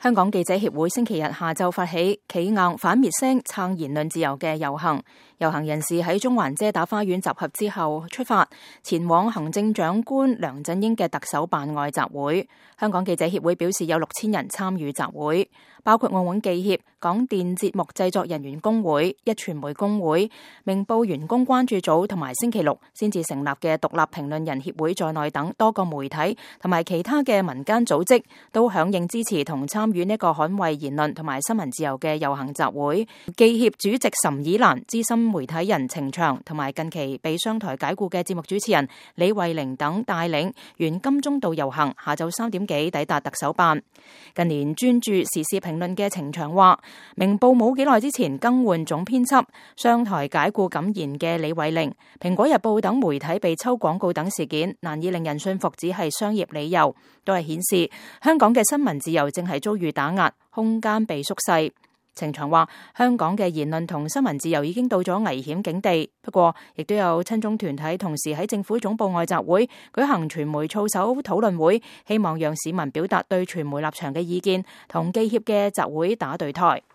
香港記者協會星期日下晝發起企硬反滅聲撐言論自由嘅遊行，遊行人士喺中環遮打花園集合之後出發，前往行政長官梁振英嘅特首辦外集會。香港記者協會表示有6000人參與集會，包括澳門記協、港電節目製作人員工會、壹傳媒工會、明報員工關注組同埋星期六先至成立嘅獨立評論人協會在內等多個媒體同埋其他嘅民間組織都響應支持同參與呢個捍衛言論同埋新聞自由嘅遊行集會。記協主席岑以蘭、資深媒體人程翔同埋近期被商台解僱嘅節目主持人李慧玲等帶領沿金鐘道遊行，下晝3點幾抵達特首辦。近年專注時事評論嘅程翔話，明報冇幾耐之前更換總編輯，商台解僱敢言嘅李慧玲，蘋果日報等媒體被抽廣告等事件，難以令人信服只係商業理由，都係顯示香港嘅新聞自由正係遭遇打壓，空間被縮細。程翔話，香港嘅言論同新聞自由已經到咗危險境地，不過亦都有親中團體同時喺政府總部外集會舉行傳媒操守討論會，希望讓市民表達對傳媒立場嘅意見，同記協嘅集會打對台。